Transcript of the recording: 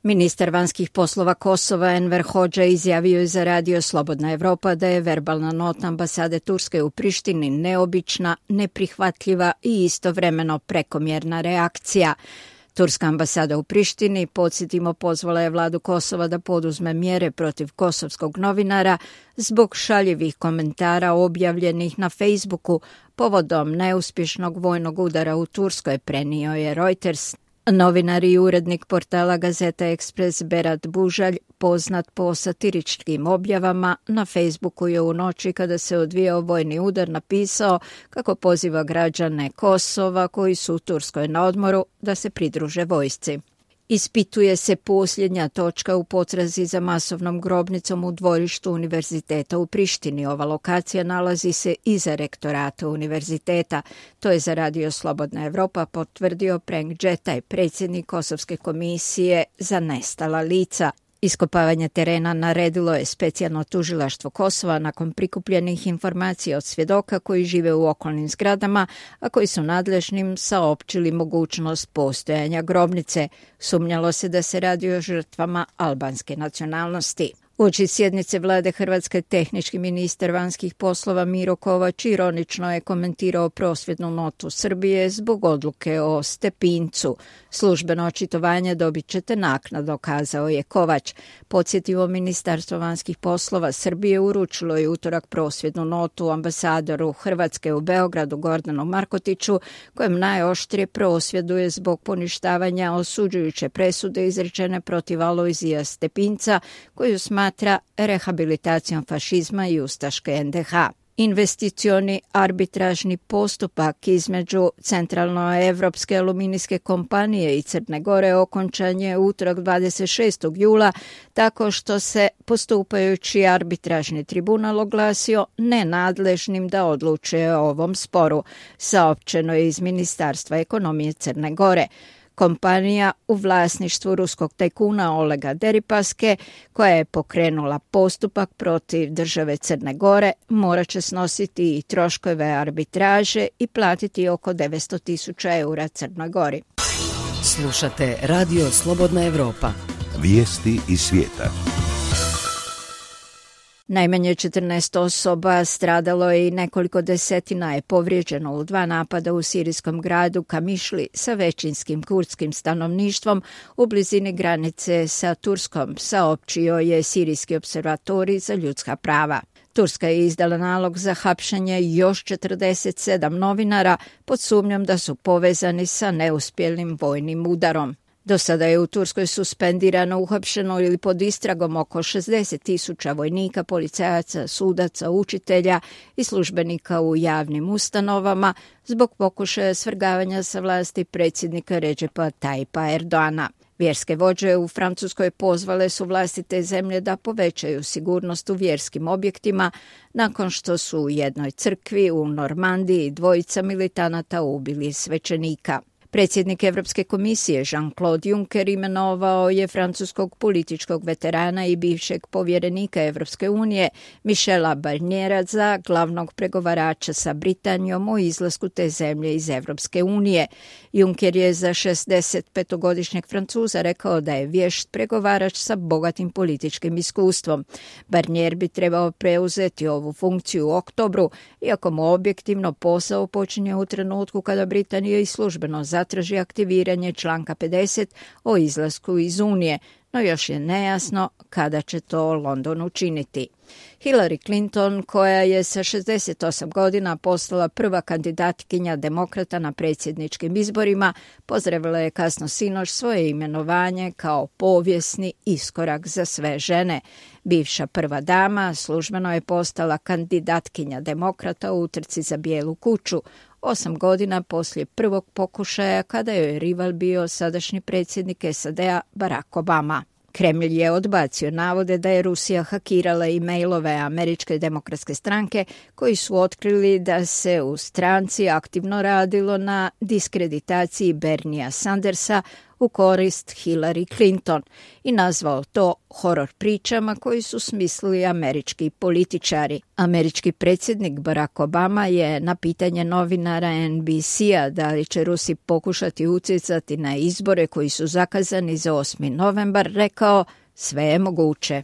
Ministar vanjskih poslova Kosova Enver Hodža izjavio je za radio Slobodna Evropa da je verbalna nota ambasade Turske u Prištini neobična, neprihvatljiva i istovremeno prekomjerna reakcija. Turska ambasada u Prištini, podsjetimo, pozvala je vladu Kosova da poduzme mjere protiv kosovskog novinara zbog šaljivih komentara objavljenih na Facebooku povodom neuspješnog vojnog udara u Turskoj, prenio je Reuters. Novinar i urednik portala Gazeta Ekspres Berat Bužalj, poznat po satiričkim objavama, na Facebooku je u noći kada se odvijao vojni udar napisao kako poziva građane Kosova koji su u Turskoj na odmoru da se pridruže vojsci. Ispituje se posljednja točka u potrazi za masovnom grobnicom u dvorištu univerziteta u Prištini. Ova lokacija nalazi se iza rektorata univerziteta. To je za radio Slobodna Evropa potvrdio Prenk Džetaj, predsjednik Kosovske komisije za nestala lica. Iskopavanje terena naredilo je specijalno tužilaštvo Kosova nakon prikupljenih informacija od svjedoka koji žive u okolnim zgradama, a koji su nadležnim saopćili mogućnost postojanja grobnice. Sumnjalo se da se radi o žrtvama albanske nacionalnosti. Uoči sjednice vlade Hrvatske, tehnički ministar vanjskih poslova Miro Kovač ironično je komentirao prosvjednu notu Srbije zbog odluke o Stepincu. Službeno očitovanje dobit ćete naknadno, kazao je Kovač. Podsjetimo, Ministarstvo vanjskih poslova Srbije uručilo je utorak prosvjednu notu ambasadoru Hrvatske u Beogradu Gordanu Markotiću, kojem najoštrije prosvjeduje zbog poništavanja osuđujuće presude izrečene protiv Alojzija Stepinca, koju smatra rehabilitacijom fašizma i ustaške NDH. Investicioni arbitražni postupak između Centralnoevropske aluminijske kompanije i Crne Gore okončan je utorak 26. jula tako što se postupajući arbitražni tribunal oglasio nenadležnim da odlučuje o ovom sporu, saopćeno je iz Ministarstva ekonomije Crne Gore. Kompanija u vlasništvu ruskog tajkuna Olega Deripaske, koja je pokrenula postupak protiv države Crne Gore, morat će snositi i troškove arbitraže i platiti oko 900.000 eura Crnoj Gori. Slušate Radio Slobodna Evropa. Vijesti iz svijeta. Najmanje 14 osoba stradalo je i nekoliko desetina je povrijeđeno u 2 napada u sirijskom gradu Kamišli sa većinskim kurdskim stanovništvom u blizini granice sa Turskom, saopćio je Sirijski observatorij za ljudska prava. Turska je izdala nalog za hapšenje još 47 novinara pod sumnjom da su povezani sa neuspjelim vojnim udarom. Do sada je u Turskoj suspendirano, uhapšeno ili pod istragom oko 60.000 vojnika, policajaca, sudaca, učitelja i službenika u javnim ustanovama zbog pokušaja svrgavanja sa vlasti predsjednika Redžepa Tajipa Erdoana. Vjerske vođe u Francuskoj pozvale su vlasti te zemlje da povećaju sigurnost u vjerskim objektima nakon što su u jednoj crkvi u Normandiji 2 militanata ubili svećenika. Predsjednik Europske komisije Jean-Claude Juncker imenovao je francuskog političkog veterana i bivšeg povjerenika Europske unije Michela Barniera za glavnog pregovarača sa Britanijom o izlasku te zemlje iz Europske unije. Juncker je za 65-godišnjeg Francuza rekao da je vješt pregovarač sa bogatim političkim iskustvom. Barnier bi trebao preuzeti ovu funkciju u oktobru, iako mu objektivno posao počinje u trenutku kada Britanija i službeno zatraži aktiviranje članka 50 o izlasku iz Unije, no još je nejasno kada će to London učiniti. Hillary Clinton, koja je sa 68 godina postala prva kandidatkinja demokrata na predsjedničkim izborima, pozdravila je kasno sinoć svoje imenovanje kao povijesni iskorak za sve žene. Bivša prva dama službeno je postala kandidatkinja demokrata u utrci za Bijelu kuću, 8 godina poslije prvog pokušaja kada je rival bio sadašnji predsjednik SAD-a Barack Obama. Kremlj je odbacio navode da je Rusija hakirala e-mailove Američke demokratske stranke koji su otkrili da se u stranci aktivno radilo na diskreditaciji Bernia Sandersa u korist Hillary Clinton i nazvao to horor pričama koji su smislili američki političari. Američki predsjednik Barack Obama je na pitanje novinara NBC-a da li će Rusi pokušati utjecati na izbore koji su zakazani za 8. novembar rekao: sve je moguće.